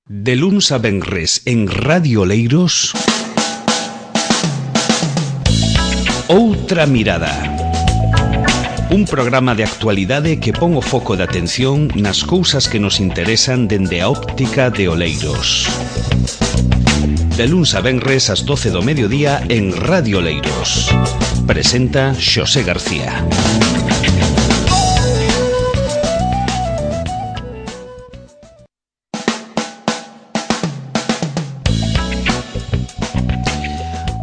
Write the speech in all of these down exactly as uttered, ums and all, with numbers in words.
De luns a venres en Radio Oleiros, Outra Mirada. Un programa de actualidade que pon o foco de atención nas cousas que nos interesan dende a óptica de Oleiros. De luns a venres ás doce do mediodía en Radio Oleiros. Presenta Xosé García.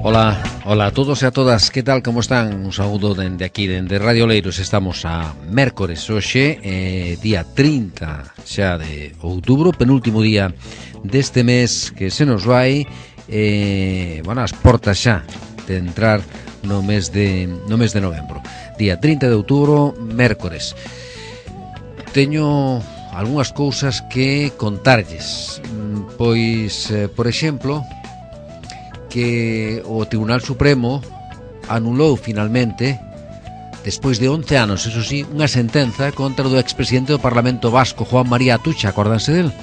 Ola, ola a todos e a todas, que tal, como están? Un saúdo dende aquí, dende Radio Oleiros. Estamos a mércores hoxe, eh, día trinta xa de outubro, penúltimo día deste mes que se nos vai, eh, bueno, as portas xa de entrar no mes de, no mes de novembro. Día trinta de outubro, mércores. Teño algunhas cousas que contarlles, pois, eh, por exemplo, que o Tribunal Supremo anulou finalmente, despois de once anos, eso sí, unha sentenza contra o expresidente do Parlamento Vasco, Juan María Atutxa. Acordanse del?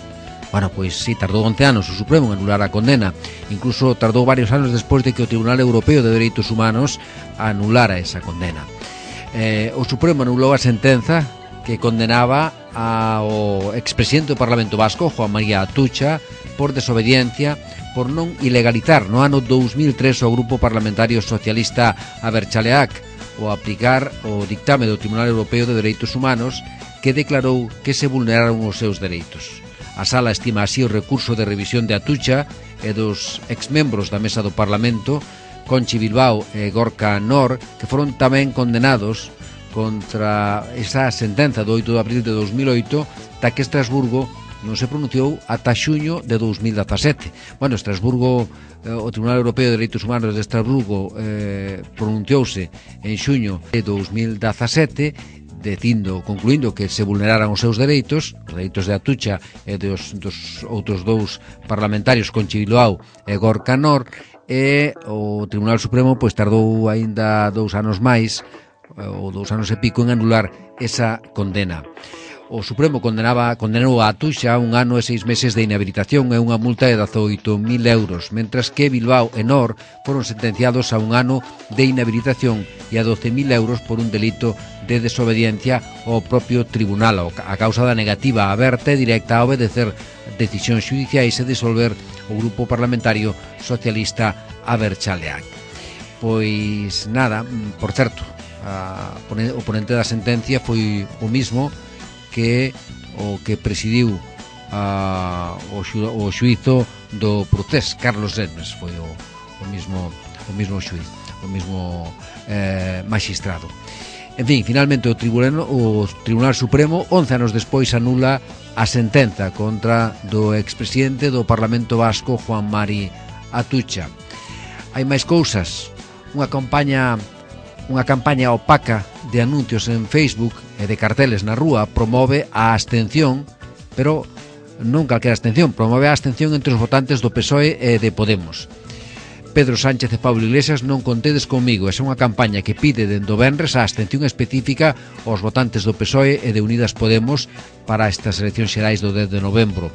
Bueno, pois sí, tardou once anos o Supremo en anular a condena. Incluso tardou varios anos despois de que o Tribunal Europeo de Dereitos Humanos anulara esa condena. Eh, o Supremo anulou a sentenza que condenaba ao expresidente do Parlamento Vasco, Juan María Atutxa, por desobediencia, por non ilegalizar no ano dous mil tres o grupo parlamentario socialista Abertzaleak ao aplicar o dictame do Tribunal Europeo de Dereitos Humanos, que declarou que se vulneraron os seus dereitos. A sala estima así o recurso de revisión de Atutxa e dos exmembros da mesa do Parlamento, Conchi Bilbao e Gorka Nor, que foron tamén condenados contra esa sentenza do oito de abril de dos mil oito, da que Estrasburgo non se pronunciou ata xuño de dos mil dezasete. Bueno, Estrasburgo, eh, o Tribunal Europeo de Dereitos Humanos de Estrasburgo eh, pronunciouse en xuño de dos mil dezasete, dicindo, concluindo que se vulneraran os seus dereitos, os dereitos de Atutxa e dos, dos outros dous parlamentarios, Conchi Bilbao e Gorka Nor, e o Tribunal Supremo pois tardou aínda dous anos máis, ou dous anos e pico, en anular esa condena. O Supremo condenaba, condenou a Atutxa a un ano e seis meses de inhabilitación e unha multa de dezoito mil euros, mentras que Bilbao e Nor foron sentenciados a un ano de inhabilitación e a doce mil euros por un delito de desobediencia ao propio tribunal, a causa da negativa aberta e directa a obedecer decisións xudiciais e disolver o grupo parlamentario socialista Abertzaleak. Pois nada, por certo, a, o ponente da sentencia foi o mismo que o que presidiu a, o, xu, o xuízo do procés, Carlos Remes, foi o, o mismo o mismo xuiz, o mismo eh, magistrado. En fin, finalmente o Tribunal, o Tribunal Supremo, once anos despois, anula a sentenza contra do expresidente do Parlamento Vasco, Juan Mari Atutxa. Hai máis cousas. Unha campaña unha campaña opaca de anuncios en Facebook e de carteles na rúa promove a abstención, pero non calquera abstención, promove a abstención entre os votantes do P S O E e de Podemos. Pedro Sánchez e Pablo Iglesias, non contedes comigo. Esa é unha campaña que pide dende o venres a abstención específica aos votantes do P S O E e de Unidas Podemos para estas eleccións xerais do dez de novembro.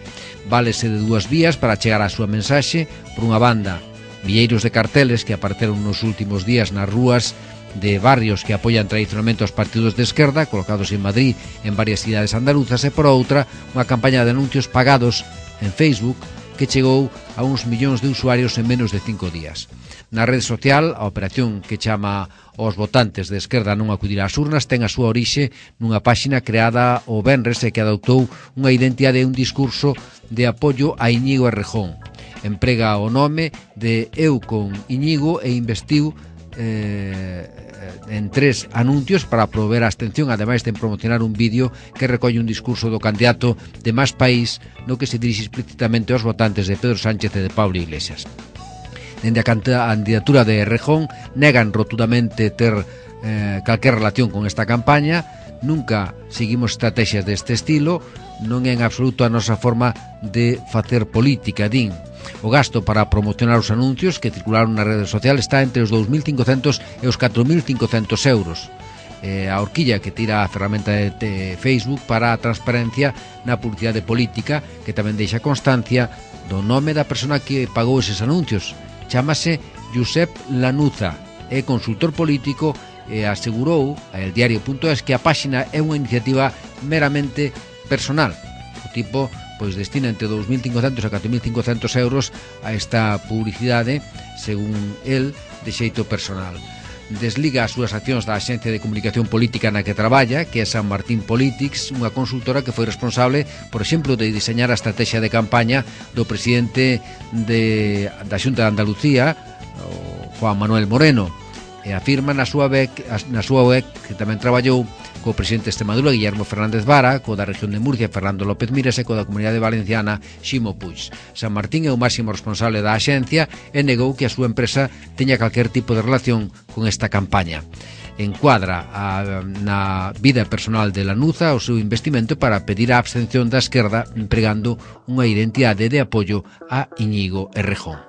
Válese de dúas vías para chegar á súa mensaxe. Por unha banda, milleiros de carteles que apareceron nos últimos días nas rúas de barrios que apoian tradicionalmente os partidos de esquerda, colocados en Madrid, en varias cidades andaluzas, e por outra, unha campaña de anuncios pagados en Facebook que chegou a uns millóns de usuarios en menos de cinco días. Na rede social, a operación que chama aos votantes de esquerda non acudir ás urnas ten a súa orixe nunha páxina creada o venres e que adoptou unha identidade e un discurso de apoio a Íñigo Errejón. Emprega o nome de Eu con Íñigo e investiu eh, en tres anuncios para promover a abstención, ademais de promocionar un vídeo que recolle un discurso do candidato de Más País, no que se dirixe explícitamente aos votantes de Pedro Sánchez e de Pablo Iglesias. Dende a candidatura de Errejón negan rotundamente ter eh, calquer relación con esta campaña. Nunca seguimos estrategias deste estilo, non é en absoluto a nosa forma de facer política, din. O gasto para promocionar os anuncios que circularon na rede social está entre os dous mil cincocentos e os catro mil cincocentos euros. eh, a horquilla que tira a ferramenta de, de Facebook para a transparencia na publicidade política, que tamén deixa constancia do nome da persona que pagou eses anuncios. Chámase Josep Lanuza, é consultor político e asegurou a el diario punto es que a páxina é unha iniciativa meramente personal. O tipo pois destina entre dous mil cincocentos a catro mil cincocentos euros a esta publicidade, según el, de xeito personal. Desliga as súas accións da Axencia de Comunicación Política na que traballa, que é San Martín Politics, unha consultora que foi responsable, por exemplo, de diseñar a estrategia de campaña do presidente de, da Xunta de Andalucía, o Juan Manuel Moreno, e afirma na súa web, na súa web que tamén traballou co presidente de Extremadura, Guillermo Fernández Vara, co da región de Murcia, Fernando López Miras, e co da Comunidade Valenciana, Ximo Puig. San Martín é o máximo responsable da axencia e negou que a súa empresa teña calquer tipo de relación con esta campaña. Encuadra a, na vida personal de Lanuza o seu investimento para pedir a abstención da esquerda empregando unha identidade de apoio a Íñigo Errejón.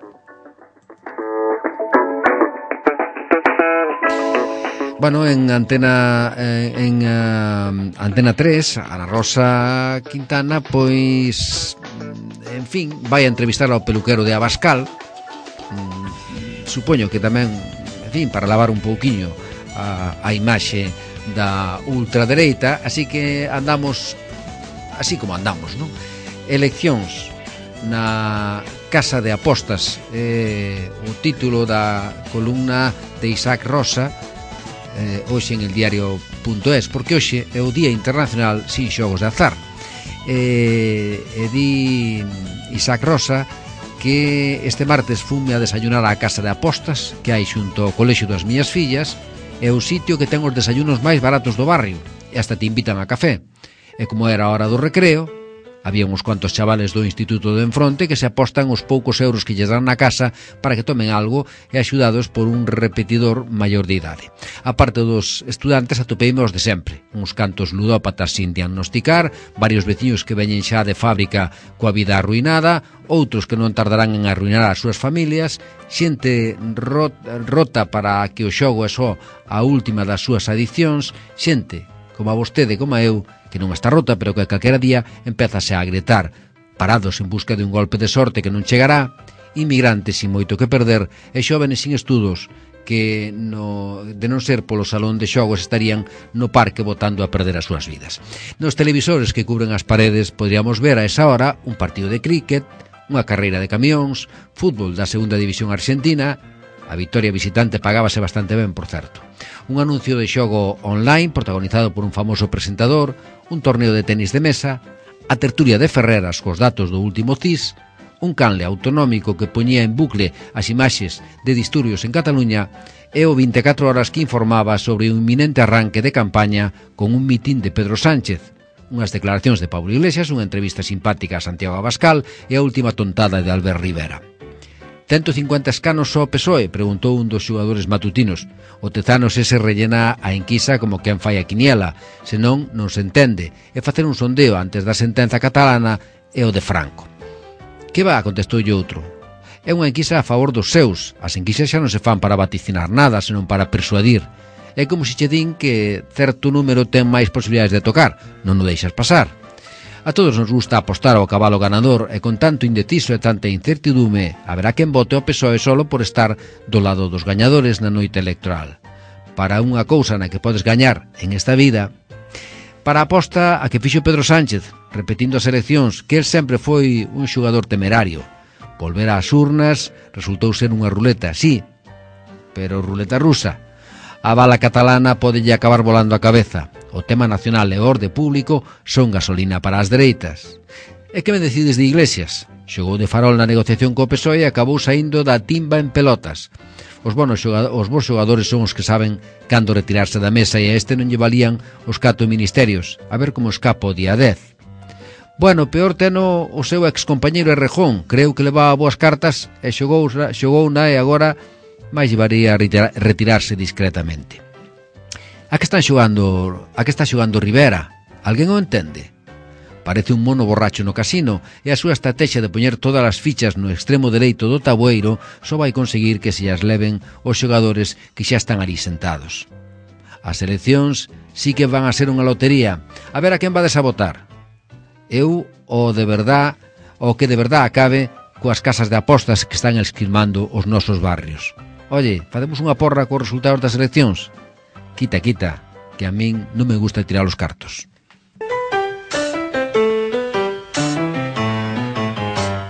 Bueno, en Antena en uh, Antena tres, Ana Rosa Quintana, pois, en fin, vai a entrevistar ao peluquero de Abascal. Mm, supoño que tamén, en fin, para lavar un pouquiño a, a imaxe da ultradereita, así que andamos así como andamos, non? Eleccións na Casa de Apostas, eh, o título da columna de Isaac Rosa, Eh, hoxe en el diario punto es, porque hoxe é o Día Internacional sin xogos de azar. Eh, e di Isaac Rosa que este martes fume a desayunar á casa de apostas que hai xunto ao colexio das miñas fillas, é o sitio que ten os desayunos máis baratos do barrio e hasta te invitan a café. E como era a hora do recreo, había uns cuantos chavales do instituto de enfronte que se apostan os poucos euros que lles dan na casa para que tomen algo e axudados por un repetidor maior de idade. A parte dos estudantes atopeime os de sempre, uns cantos ludópatas sin diagnosticar, varios veciños que veñen xa de fábrica coa vida arruinada, outros que non tardarán en arruinar as súas familias, xente rota para que o xogo é só a última das súas adiccións, xente como a vostede, como a eu, que non está rota, pero que calquera día empezase a gritar, parados en busca de un golpe de sorte que non chegará, inmigrantes sin moito que perder e xóvenes sin estudos que, no, de non ser polo salón de xogos, estarían no parque botando a perder as súas vidas. Nos televisores que cubren as paredes podríamos ver a esa hora un partido de críquet, unha carreira de camións, fútbol da segunda división argentina. A vitoria visitante pagábase bastante ben, por certo. Un anuncio de xogo online protagonizado por un famoso presentador, un torneo de tenis de mesa, a tertulia de Ferreras cos datos do último C I S, un canle autonómico que poñía en bucle as imaxes de disturbios en Cataluña e o vinte e catro horas que informaba sobre un inminente arranque de campaña con un mitín de Pedro Sánchez, unhas declaracións de Pablo Iglesias, unha entrevista simpática a Santiago Abascal e a última tontada de Albert Rivera. Cento cincuenta escanos só o P S O E, preguntou un dos xogadores matutinos. O Tezanos ese rellena a enquisa como quen fai a quiniela, senón non se entende, e facer un sondeo antes da sentenza catalana é o de Franco. Que va, contestou outro. É unha enquisa a favor dos seus, as enquisas xa non se fan para vaticinar nada, senón para persuadir. É como se che din que certo número ten máis posibilidades de tocar, non o deixas pasar. A todos nos gusta apostar ao cabalo ganador e con tanto indeciso e tanta incertidume haberá quen vote ao P S O E solo por estar do lado dos gañadores na noite electoral. Para unha cousa na que podes gañar en esta vida, para a aposta a que fixo Pedro Sánchez, repetindo as eleccións, que el sempre foi un xogador temerario. Volver ás urnas resultou ser unha ruleta, sí, pero ruleta rusa. A bala catalana podelle acabar volando a cabeza. O tema nacional e o orde público son gasolina para as dereitas. E que me decides de Iglesias? Xogou de farol na negociación co P S O E e acabou saindo da timba en pelotas. Os bons xogadores, os bons xogadores son os que saben cando retirarse da mesa e a este non lle valían os catro ministerios. A ver como escapa o día dez. Bueno, peor teno o seu excompañeiro Errejón. Creu que levaba boas cartas e xogou, xogou na e agora máis llevaría a retirarse discretamente. A que están xogando, a que está xogando Rivera? Alguén o entende? Parece un mono borracho no casino e a súa estrategia de poñer todas as fichas no extremo dereito do tabueiro só vai conseguir que se as leven os xogadores que xa están ali sentados. As eleccións sí que van a ser unha lotería. A ver a quen vades a votar. Eu, o de verdad, o que de verdad acabe coas casas de apostas que están esquilmando os nosos barrios. Oye, facemos unha porra cos resultados das eleccións? Quita, quita, que a min non me gusta tirar os cartos.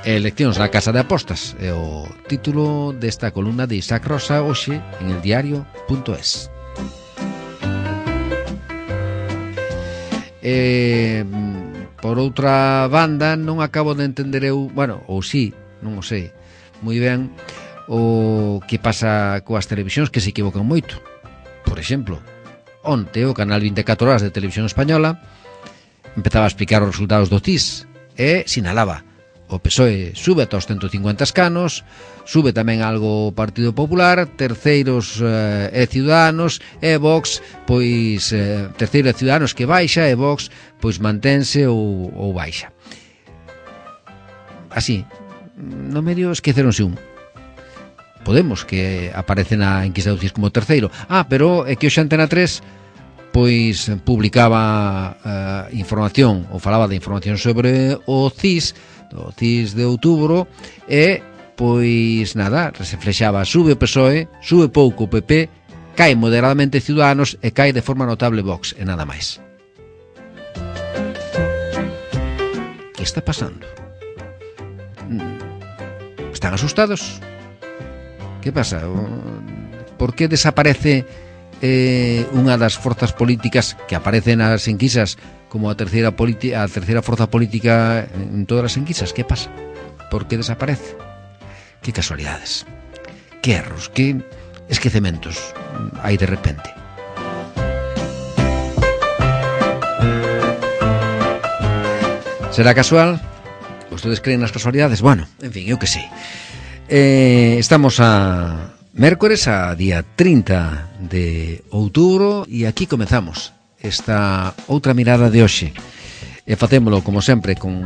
Eleccións na casa de apostas é o título desta columna de Isaac Rosa hoxe en el diario punto es. Eh, por outra banda, non acabo de entender eu, bueno, ou sí, non o sei moi ben, o que pasa coas televisións que se equivocan moito. Por exemplo, onte o canal vinte e catro horas de Televisión Española empezaba a explicar os resultados do C I S e sinalaba: o P S O E sube ata os ciento cincuenta escanos, sube tamén algo o Partido Popular, terceiros eh, e Ciudadanos, e Vox, pois eh, terceiro e Ciudadanos que baixa, e Vox pois mantense ou, ou baixa. Así, no medio esqueceronse un. Podemos, que aparece na enquisa do C I S como terceiro. Ah, pero é que hoxe Antena tres pois publicaba eh, información, ou falaba de información sobre o C I S, do C I S de outubro, e pois nada, se flexaba: sube o P S O E, sube pouco o P P, cae moderadamente Ciudadanos e cae de forma notable Vox, e nada máis. Que está pasando? Están asustados? Que pasa? Por que desaparece eh, unha das forzas políticas que aparecen nas enquisas como a terceira, a terceira forza política en todas as enquisas? Que pasa? Por que desaparece? Que casualidades, que erros, que esquecementos hai de repente. Será casual? Vostedes creen nas casualidades? Bueno, en fin, eu que sei. Eh, estamos a mércores, a día trinta de outubro, e aquí comezamos esta outra mirada de hoxe. E facémolo, como sempre, con,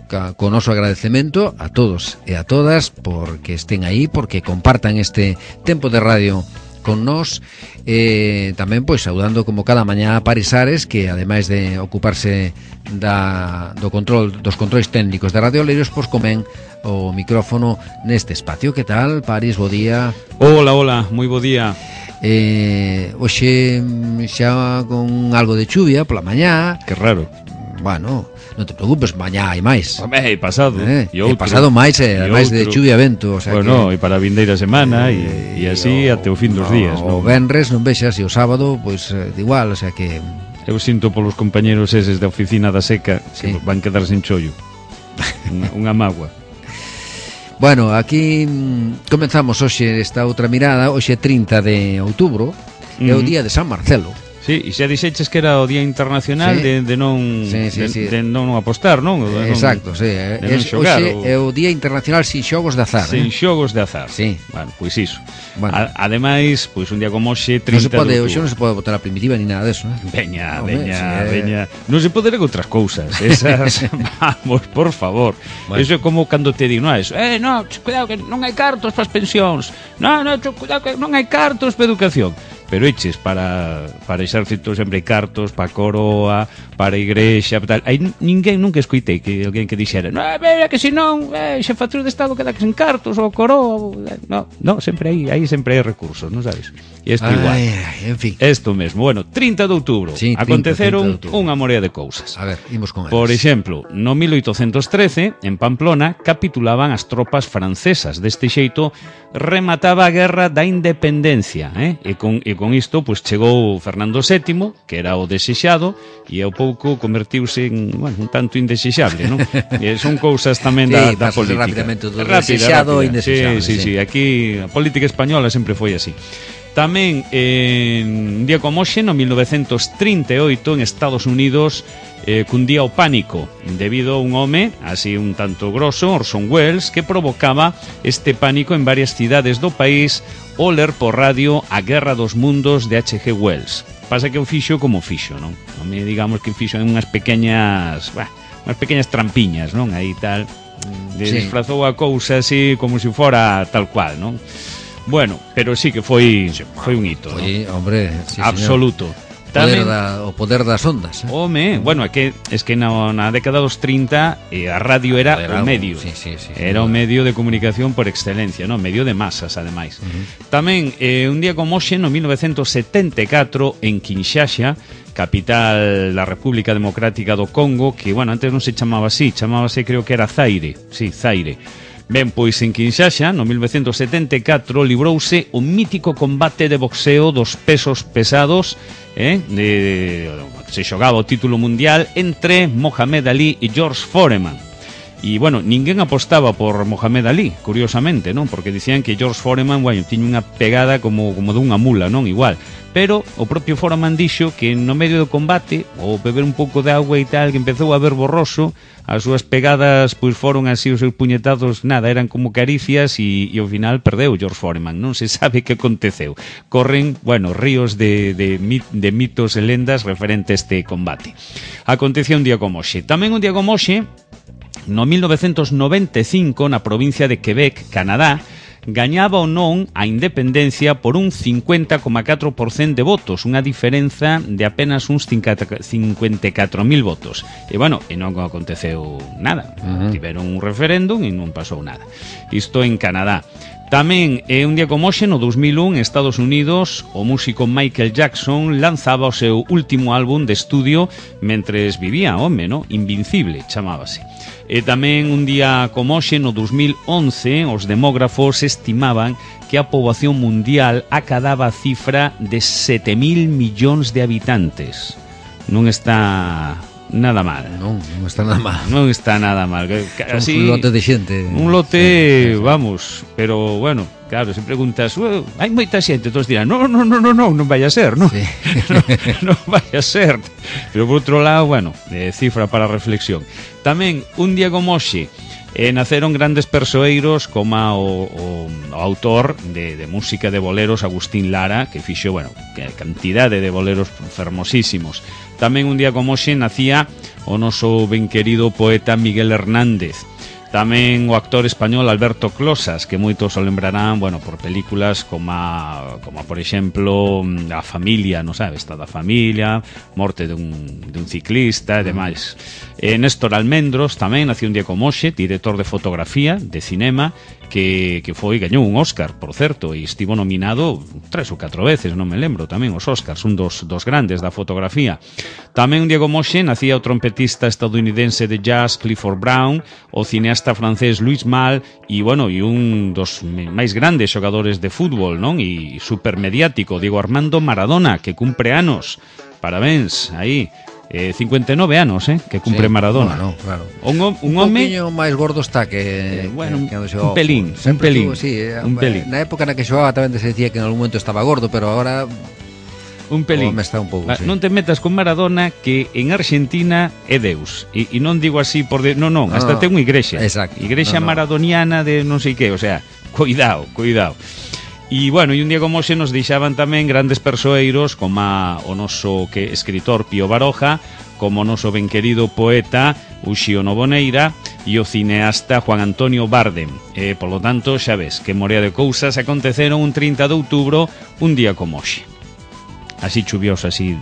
con o noso agradecemento a todos e a todas porque estén aí, porque compartan este tempo de radio con nós, e tamén pois saudando como cada mañá a Paris Ares, que ademais de ocuparse da, do control dos controis técnicos de Radio Oleiros, pois comen o micrófono neste espacio. Que tal, Paris? Bo día. Hola, hola, moi bo día. Eh, hoxe xa con algo de chuvia pola mañá. Que raro. Bueno, non te preocupes, mañá hai máis. Home, hai pasado. Eh, hai pasado máis, eh, ademais de chuvia e vento, o sea, bueno, que, e para a vindeira semana e, e así o, até o fin dos o, días, o non? venres non vexas, e o sábado pois eh, de igual, o sea que eu sinto polos compañeros eses da oficina da seca, sí, que van quedar sin chollo. Unha mágoa. Bueno, aquí mm, comenzamos hoxe esta outra mirada. Hoxe trinta de outubro, uh-huh, é o día de San Marcelo. Sí, e xa dixeches que era o Día Internacional, sí, de, de non sí, sí, de, sí. de non apostar, non? De non, exacto, sí. De non xogar, hoxe o... é o Día Internacional sin xogos de azar. Sin eh? xogos de azar. Sí. Bueno, pois iso. Bueno. A, ademais, pois un día como hoxe, trinta non se pode, de hoxe non se pode botar a primitiva ni nada deso, eh? Veña, Home, veña, sí, eh... veña. Non se pode ler outras cousas. Esas, vamos, por favor. Bueno. Eso é como cando te digo, non é eso. Eh, no, cuidado que non hai cartos para as pensións. No, no, cuidado que non hai cartos para a educación. Pero eches para para exército sempre hai cartos, para a coroa, para a igrexa, tal. Hai ninguén nunca escoitei que alguén que dixera: "No, é que se non, eh, xefatura de estado queda que sen cartos ou coroa". No, no, sempre hai, aí sempre hai recursos, non sabes? E isto igual. Ai, en fin. Isto mesmo. Bueno, trinta de outubro, sí, aconteceron unha morea de cousas. A ver, imos con eles. Por exemplo, no mil oitocentos trece, en Pamplona, capitulaban as tropas francesas. Deste xeito, remataba a guerra da independencia, eh? E con e con isto, pois chegou Fernando sétimo, que era o desexado, e ao pouco convertiuse en, bueno, un tanto indesexable, non? E son cousas tamén da, sí, da política. Rapidamente do desexado ao indesexable. Sí, sí, sí, sí, aquí a política española sempre foi así. Tamén, en un día como hoxe, no mil novecentos trinta e oito, en Estados Unidos, eh, cundía o pánico debido a un home, así un tanto grosso, Orson Welles, que provocaba este pánico en varias cidades do país ao ler por radio A Guerra dos Mundos de H G Wells. Pasa que o fixo como fixo, non? A mí, digamos que fixo en unhas pequeñas, bah, unhas pequeñas trampiñas, non? Aí tal, de, sí, disfrazou a cousa así como se fora tal cual, non? Bueno, pero sí que foi foi un hito, Foi, ¿no? hombre, sí, Absoluto. Poder Tamén, da, o poder das ondas, eh? home, bueno, é que es que na, na década dos trinta eh, a radio era Era o algo, medio. sí, sí, sí, Era sí, o medio de comunicación por excelencia, no, medio de masas, ademais. Uh-huh. Tamén eh, un día como hoxe, no mil novecentos setenta e catro, en Kinshasa, capital da República Democrática do Congo, que, bueno, antes non se chamaba así, chamábase, creo que era Zaire, sí, Zaire. Ben, pois en Kinshasa, no mil novecentos setenta e catro, librouse o mítico combate de boxeo dos pesos pesados, eh, de, de, se xogaba o título mundial entre Mohamed Ali e George Foreman. E, bueno, ninguén apostaba por Mohamed Ali, curiosamente, non? Porque dicían que George Foreman, bueno, tiña unha pegada como, como dunha mula, non? Igual. Pero o propio Foreman dixo que no medio do combate, ou beber un pouco de agua e tal, que empezou a ver borroso, as súas pegadas pois foron así, os seus puñetazos, nada, eran como caricias e, e ao final perdeu George Foreman, non se sabe que aconteceu. Corren, bueno, ríos de, de, de mitos e lendas referente a este combate. Acontecía un día como hoxe. Tamén un día como hoxe, no mil novecentos noventa e cinco, na provincia de Quebec, Canadá, gañaba ou non a independencia por un cincuenta coma catro por cento de votos, unha diferenza de apenas uns cincuenta e catro mil votos. E, bueno, e non aconteceu nada. Uh-huh. Tiveron un referéndum e non pasou nada. Isto en Canadá. Tamén é un día como hoxe, no dos mil un, en Estados Unidos, o músico Michael Jackson lanzaba o seu último álbum de estudio mentres vivía, home, no? Invincible, chamábase. E tamén un día como hoxe, no dos mil once, os demógrafos estimaban que a poboación mundial acadaba a cifra de sete mil millóns de habitantes. Non está nada mal. Non, non está nada mal. Non está nada mal. Así, un lote de xente. Un lote, sí, sí, vamos, pero bueno, claro, se preguntas, hai moita xente, todos dirán, non, non, non, non, non, non vai a ser, non? Sí. non, non vai a ser. Pero por outro lado, bueno, eh, cifra para reflexión. Tamén, un día como hoxe, eh, naceron grandes persoeiros como o, o, o autor de, de música de boleros Agustín Lara, que fixo, bueno, que cantidade de boleros fermosísimos. Tamén un día como hoxe nacía o noso ben querido poeta Miguel Hernández. Tamén o actor español Alberto Closas, que moitos o lembrarán, bueno, por películas como, a, como por exemplo, A Familia, non sabe, Esta da Familia, Morte dun, dun ciclista e demais. E Néstor Almendros tamén nació un día como hoxe, director de fotografía, de cinema, que, que foi, gañou un Óscar, por certo, e estivo nominado tres ou catro veces, non me lembro, tamén os Óscars, un dos, dos grandes da fotografía. Tamén un día como hoxe nacía o trompetista estadounidense de jazz Clifford Brown, o cineasta francés Louis Malle e, bueno, e un dos máis grandes xogadores de fútbol, non? E supermediático, Diego Armando Maradona, que cumpre anos. Parabéns, aí. Eh, cincuenta e nove anos, eh, que cumpre, sí, Maradona. Bueno, claro. Un, un, un home poquinho máis gordo está que, eh, bueno, que, que un pelín, un pelín, tuvo, sí, un pelín. Na época na que xogaba tamén se decía que en algún momento estaba gordo, pero agora un pelín. Me está un pouco, sí. Non te metas con Maradona, que en Argentina é Deus. E, e non digo así por de... non, non, hasta no, ten unha igrexa. Exacto. Igrexa no, no. maradoniana de non sei que, o sea, cuidado, cuidado. E, bueno, e un día como hoxe nos deixaban tamén grandes persoeiros como a, o noso que escritor Pío Baroja, como o noso ben querido poeta Uxío Noboneira e o cineasta Juan Antonio Bardem. E, polo tanto, xa ves, que morea de cousas aconteceron un trinta de outubro, un día como hoxe. Así chuvioso, así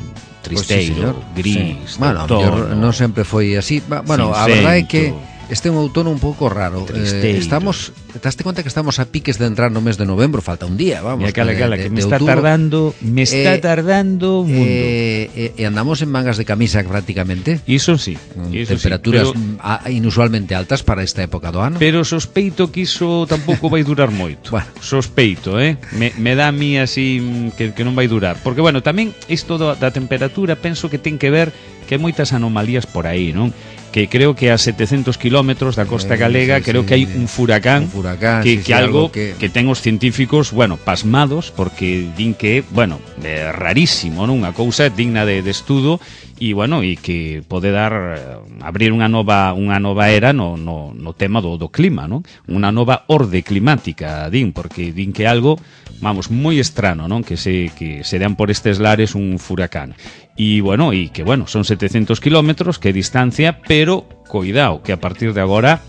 tristeiro, pues sí, gris, sí. Bueno, non sempre foi así. Bueno, a verdade é que este é un outono un pouco raro. Eh, estamos, daste conta que estamos a piques de entrar no mes de novembro, falta un día, vamos. Mira, cala, cala, que me está tardando, me está eh, tardando un mundo. Eh, eh, andamos en mangas de camisa prácticamente. Iso sí, iso temperaturas sí, pero, a, inusualmente altas para esta época do ano. Pero sospeito que iso tampouco vai durar moito. Bueno. Sospeito, eh? Me, me dá a mí así que, que non vai durar. Porque, bueno, tamén isto da, da temperatura penso que ten que ver que hai moitas anomalías por aí, non? Que creo que a setecientos kilómetros da costa galega, eh, sí, creo sí, que hai un furacán, un furacán que, sí, que sí, algo, algo que... que ten os científicos, bueno, pasmados, porque din que, bueno, é rarísimo, non? Unha cousa digna de, de estudo e, bueno, e que pode dar, abrir unha nova unha nova era no, no, no tema do, do clima, non? Unha nova orde climática, din, porque din que algo, vamos, moi estrano, non? Que se, que se dan por estes lares un furacán. E, bueno, e que, bueno, son setecientos kilómetros, que distancia, pero, cuidado, que a partir de agora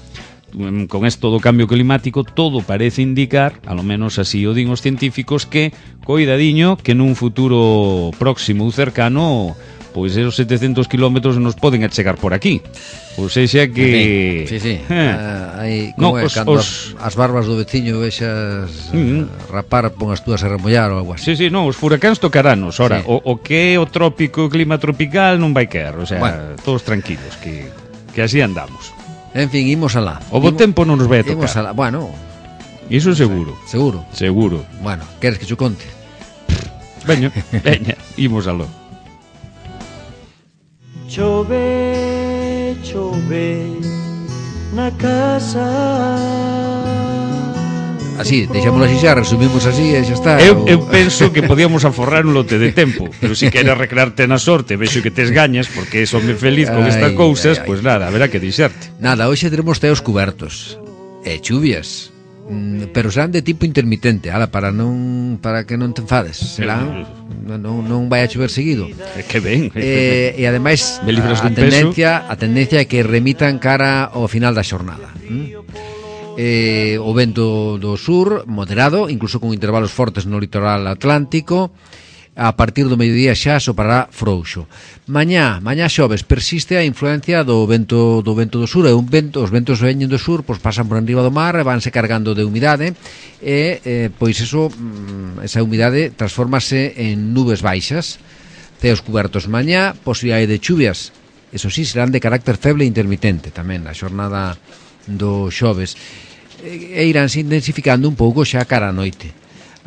con esto do cambio climático todo parece indicar, a lo menos así o din os científicos, que coidadiño que nun futuro próximo ou cercano pois esos setecentos kilómetros nos poden achegar por aquí. Ou seja que... Sí, sí, Eh. uh, aí, No, como é, os- cando os- as barbas do veciño vexas Mm. uh, rapar, pon as túas a remollar ou algo así. Sí, sí, non, os furacáns tocaranos. Ora, Sí. o, o que é o trópico, o clima tropical non vai quer, o sea, Bueno. todos tranquilos, que, que así andamos. En fin, imos alá. O bo Imo- tempo non nos vai a Imos tocar. alá. Bueno, Iso seguro, seguro. seguro. Bueno, queres que cho conte? Veño, veña, imos aló. Chove, chove na casa. Así, deixámoslo así xa, resumimos así e xa está. Eu, ou- eu penso que podíamos aforrar un lote de tempo, pero si queres recrearte na sorte, vexo que tes gañas, porque eso me feliz con Ai, estas cousas, ai, ai. pois pues nada, haberá que dixerte. Nada, hoxe teremos teos cubertos e chuvias. Mm, pero serán de tipo intermitente, ala, para non para que non te enfades. Serán non, non, non vai a chover seguido. É que ben, é que Eh, e ademais Me libras a dun tendencia, a tendencia é que remitan cara ao final da xornada. ¿Mm? Eh, o vento do sur moderado, incluso con intervalos fortes no litoral atlántico. A partir do mediodía xa sopará frouxo. Mañá, mañá xoves, persiste a influencia do vento do vento do sur, e un vento, os ventos veñen do sur, pois pasan por enriba do mar e vanse cargando de humidade e eh, pois eso, esa humidade transfórmase en nubes baixas. Ceos cubertos mañá, posibilidade de chuvias, eso sí, serán de carácter feble e intermitente tamén na xornada do xoves, e iránse intensificando un pouco xa cara a noite.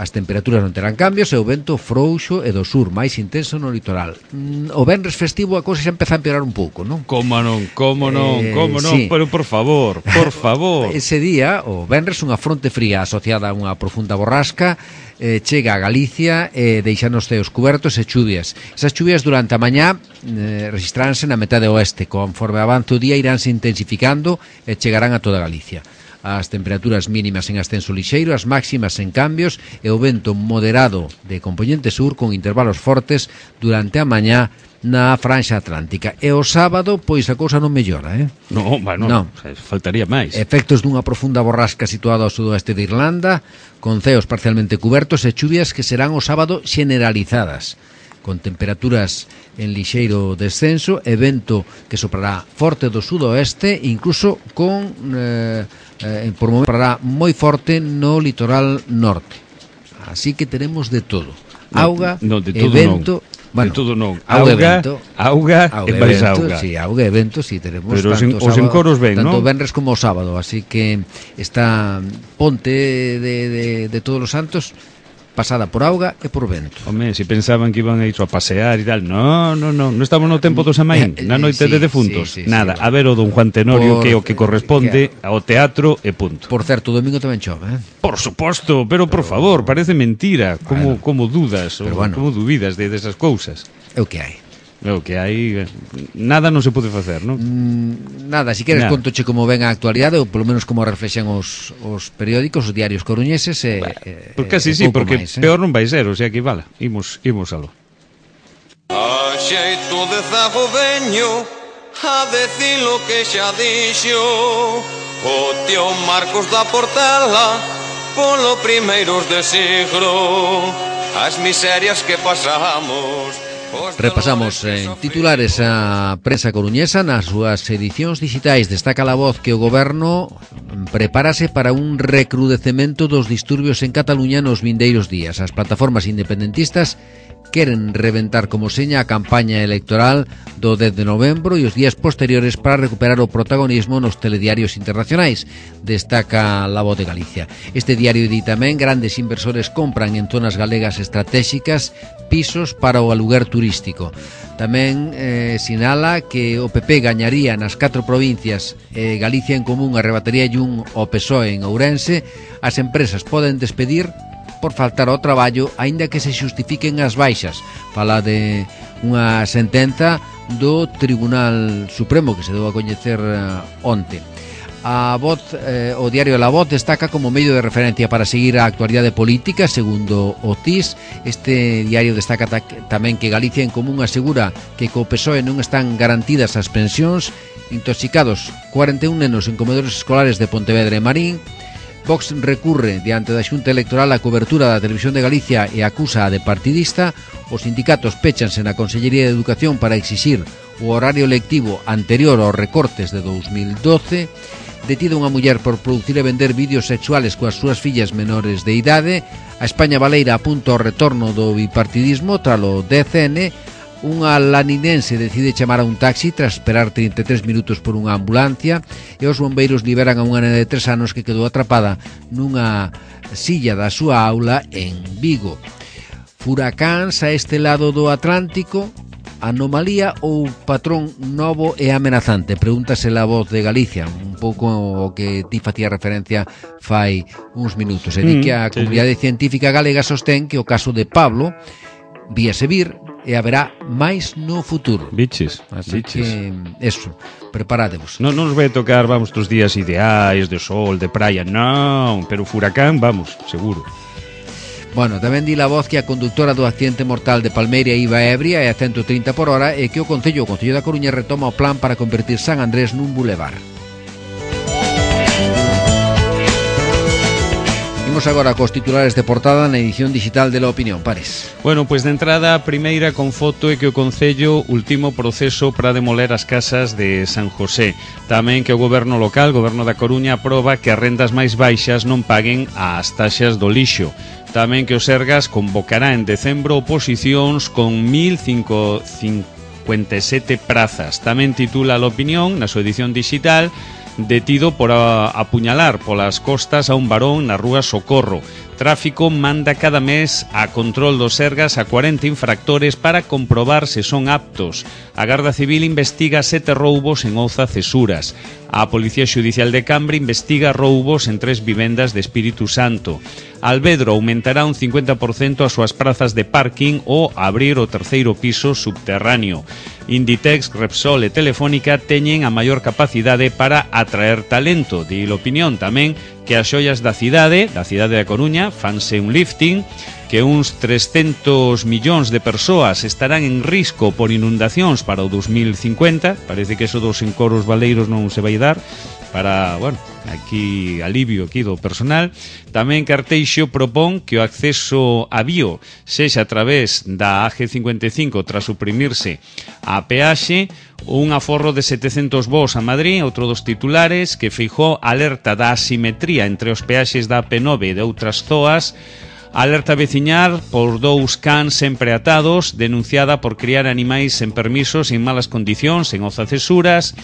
As temperaturas non terán cambios e o vento frouxo e do sur, máis intenso no litoral. Mm, O venres festivo a cousa xa empeza a empeorar un pouco, non? Como non, como non, Eh, como non, sí. pero por favor, por favor. Ese día, o venres, unha fronte fría asociada a unha profunda borrasca eh, chega a Galicia e deixanos ceos cubertos e chuvias. Esas chuvias durante a mañá eh, registraránse na metade oeste, conforme avance o día iránse intensificando e chegarán a toda Galicia. As temperaturas mínimas en ascenso lixeiro, as máximas en cambios e o vento moderado de componente sur con intervalos fortes durante a mañá na franxa atlántica. E o sábado, pois a cousa non mellora, eh? No, bueno, No. faltaría máis. Efectos dunha profunda borrasca situada ao sudoeste de Irlanda, con ceos parcialmente cubertos e chuvias que serán o sábado generalizadas, con temperaturas en lixeiro descenso e vento que soprará forte do sudoeste, incluso con eh, eh, por momento soprará moi forte no litoral norte. Así que tenemos de todo. Auga no, de e todo vento, non. bueno, De todo non. auga e Auga, vento. auga, Auga e e máis vento, auga. sí, auga e vento, sí, tenemos Pero os tanto en- os sábado- encoros ben, tanto ¿no? venres como o sábado, así que esta ponte de, de, de todos os santos pasada por auga e por vento. Home, si pensaban que iban a ir a pasear e tal. No, no, no, non estamos no tempo do Samaín, Eh, na noite sí, de defuntos. sí, sí, Nada, sí, a ver o don Juan Tenorio Por- que é o que corresponde ao teatro e punto. Por certo, o domingo tamén chove, eh? Por suposto, pero por favor, parece mentira. Como, como dudas, pero ou bueno. como dubidas de desas cousas. É o que hai. É o que hai, nada non se pode facer, non? Mm, nada, si queres Nada. contoche como ven a actualidade ou polo menos como reflexan os, os periódicos, os diarios coruñeses e, e, Pois casi e sí, pouco porque máis, eh? peor non vai ser, o sea que vala, imos, imos aló. A xeito de zago veño a decir lo que xa dixo o tío Marcos da Portela polo primeiros de siglo as miserias que pasamos. Repasamos en titulares a prensa coruñesa nas súas edicións digitais. Destaca La Voz que o goberno prepárase para un recrudecemento dos disturbios en Cataluña nos vindeiros días. As plataformas independentistas queren reventar como seña a campaña electoral do dez de novembro e os días posteriores para recuperar o protagonismo nos telediarios internacionais, destaca La Voz de Galicia. Este diario di tamén grandes inversores compran en zonas galegas estratégicas pisos para o aluguer turístico. Tamén eh, sinala que o P P gañaría nas catro provincias e Galicia en Común arrebataría un ao P S O E en Ourense. As empresas poden despedir por faltar ao traballo, aínda que se xustifiquen as baixas. Fala de unha sentenza do Tribunal Supremo que se deu a coñecer uh, onte. A Voz, eh, o diario La Voz destaca como medio de referencia para seguir a actualidade política, segundo o T I S. Este diario destaca ta tamén que Galicia en Común asegura que co P S O E non están garantidas as pensións intoxicados cuarenta e un nenos en comedores escolares de Pontevedra e Marín. Vox recurre diante da Xunta Electoral a cobertura da Televisión de Galicia e acusa a de partidista. Os sindicatos péchanse na Consellería de Educación para exixir o horario lectivo anterior aos recortes de dous mil doce. Detida unha muller por producir e vender vídeos sexuales coas súas fillas menores de idade. A España Baleira apunta ao retorno do bipartidismo tralo D C N. Unha laninense decide chamar a un taxi tras esperar trinta e tres minutos por unha ambulancia, e os bombeiros liberan a unha nena de tres anos que quedou atrapada nunha silla da súa aula en Vigo. Furacáns a este lado do Atlántico, anomalía ou patrón novo e amenazante? Pregúntase La Voz de Galicia, un pouco o que ti facía referencia fai uns minutos. E di que a comunidade científica galega sostén que o caso de Pablo víase vir e haberá máis no futuro. Biches, así biches. que, eso, preparádevos. Non nos vai tocar, vamos, tos días ideais de sol, de praia, non, pero furacán, vamos, seguro. Bueno, tamén di La Voz que a conductora do accidente mortal de Palmeira iba ebria e a ciento trinta por hora, e que o Concello, o Concello da Coruña retoma o plan para convertir San Andrés nun bulevar. Imos agora cos titulares de portada na edición digital de La Opinión. Pares. Bueno, pois de entrada, a primeira con foto é que o Concello ultimo proceso para demoler as casas de San José. Tamén que o goberno local, o goberno da Coruña, aproba que as rendas máis baixas non paguen as taxas do lixo. Tamén que o Sergas convocará en decembro oposicións con mil cincuenta e sete prazas. Tamén titula La Opinión, na súa edición digital, detido por a, apuñalar polas costas a un varón na rúa Socorro. Tráfico manda cada mes a control dos Sergas a cuarenta infractores para comprobar se son aptos. A Garda Civil investiga sete roubos en Ouza Cesuras. A Policía Xudicial de Cambre investiga roubos en tres vivendas de Espírito Santo. Alvedro aumentará un cincuenta por cento as súas prazas de parking ou abrir o terceiro piso subterráneo. Inditex, Repsol e Telefónica teñen a maior capacidade para atraer talento. Di a Opinión tamén que as xoias da cidade, da cidade da Coruña, fanse un lifting, que uns trescentos millóns de persoas estarán en risco por inundacións para o dos mil cincuenta. Parece que eso dos encoros baleiros non se vai dar para, bueno, aquí alivio aquí do personal. Tamén Carteixo propón que o acceso a Vío sexa a través da A G cincuenta e cinco tras suprimirse a peaxe. Un aforro de setecentos voos a Madrid, outro dos titulares, que Feijóo alerta da asimetría entre os peaxes da A P nove e de outras zoas. Alerta veciñar por dous cans sempre atados, denunciada por criar animais sen permisos en malas condicións en Ouza Cesuras.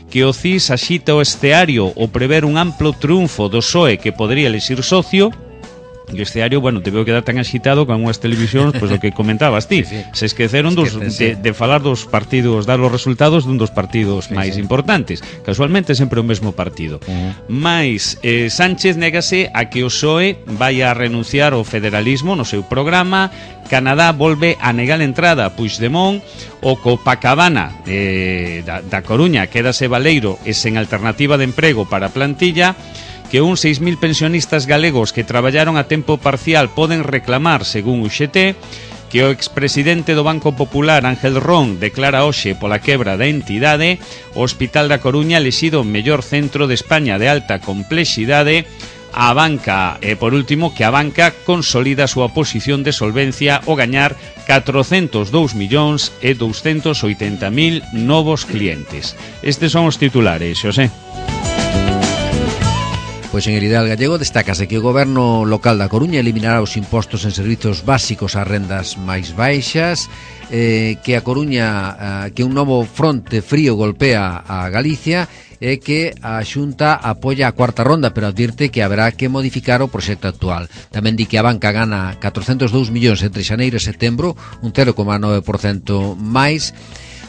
Que o C I S axita o esceario o prever un amplo triunfo do P S O E que podría elixir socio. E o esceario, bueno, te veo quedar tan axitado con unhas televisións, pois pues, o que comentabas ti. Sí, sí. Se esqueceron dos, de, de falar dos partidos, dar os resultados dun dos partidos sí, máis sí. importantes. Casualmente sempre o mesmo partido. Uh-huh. Mais eh, Sánchez négase a que o P S O E vai a renunciar ao federalismo no seu programa. Canadá volve a negar a entrada a Puigdemont. O Copacabana eh, da, da Coruña quédase baleiro e sen alternativa de emprego para a plantilla. Que uns seis mil pensionistas galegos que traballaron a tempo parcial poden reclamar, según o X T, que o expresidente do Banco Popular, Ángel Ron, declara hoxe pola quebra da entidade, o Hospital da Coruña elixido o mellor centro de España de alta complexidade, a banca, e por último, que a banca consolida a súa posición de solvencia ao gañar catrocentos dous millóns e douscentos oitenta mil novos clientes. Estes son os titulares, Xosé. Pois en Heridal Gallego destácase que o goberno local da Coruña eliminará os impostos en servizos básicos ás rendas máis baixas, eh, que a Coruña, eh, que un novo fronte frío golpea a Galicia e que a Xunta apoia a cuarta ronda, pero advirte que haberá que modificar o proxecto actual. Tamén di que a banca gana catrocentos dous millóns entre xaneiro e setembro, un cero coma nove por cento máis.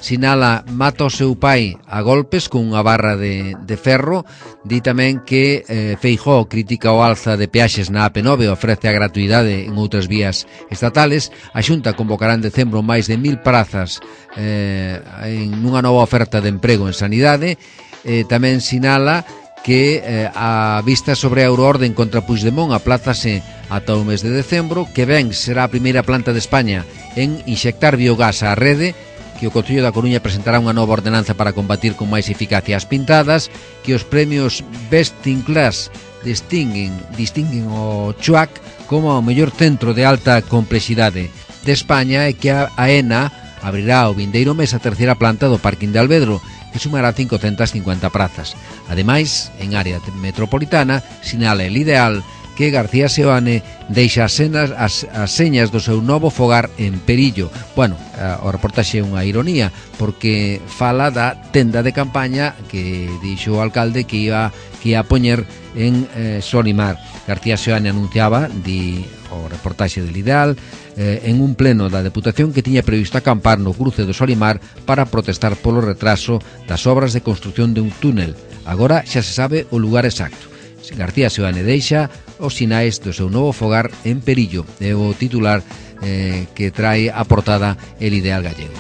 Sinala mata o seu pai a golpes con unha barra de, de ferro. Di tamén que eh, Feijóo critica o alza de peaxes na A P nove e ofrece a gratuidade en outras vías estatales. A Xunta convocará en decembro máis de mil prazas eh, en unha nova oferta de emprego en sanidade. Eh, tamén sinala que eh, a vista sobre a euroorden contra Puigdemont aplázase ata o mes de decembro, que ben será a primeira planta de España en inxectar biogás á rede, que o Concello da Coruña presentará unha nova ordenanza para combatir con máis eficacia as pintadas, que os premios Best in Class distinguen, distinguen o Chuac como o mellor centro de alta complexidade de España e que a AENA abrirá o vindeiro mes a terceira planta do Parking de Alvedro, que sumará cincocentas cincuenta prazas. Ademais, en área metropolitana, sinala el ideal que García Seoane deixa as, senas, as, as señas do seu novo fogar en Perillo. Bueno, o reportaxe é unha ironía, porque fala da tenda de campaña que dixo o alcalde que iba, que ia a poñer en eh, Solimar. García Seoane anunciaba, di o reportaxe del Ideal, eh, en un pleno da Deputación que tiña previsto acampar no cruce do Solimar para protestar polo retraso das obras de construción de un túnel. Agora xa se sabe o lugar exacto. García Seoane deixa os sinais do seu novo fogar en Perillo, é o titular eh, que trae a portada El Ideal Gallego.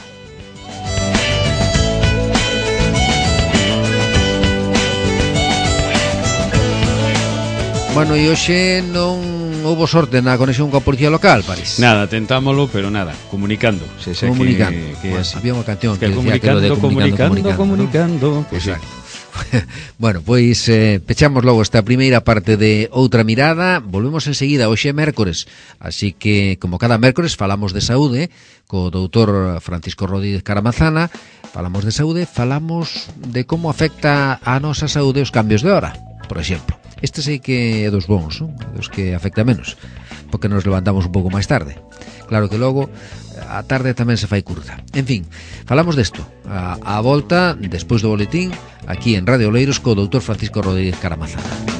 Bueno, e hoxe non houbo sorte na conexión coa policía local, parece. Nada, tentámolo, pero nada, comunicando. Se sei comunicando. Que, que bueno, así. Había unha canción que, que decía que lo de comunicando, comunicando, comunicando. ¿no? Pues exacto. Bueno, pois eh, pechamos logo esta primeira parte de Outra Mirada. Volvemos enseguida, hoxe é mércores, así que como cada mércores falamos de saúde co doutor Francisco Rodríguez Caramazana. Falamos de saúde, falamos de como afecta a nosa saúde os cambios de hora, por exemplo. Este sei que é dos bons, non? Dos que afecta menos, porque nos levantamos un pouco máis tarde. Claro que logo a tarde tamén se fai curta. En fin, falamos desto a, a volta, despois do boletín, aquí en Radio Oleiros co doutor Francisco Rodríguez Caramazana.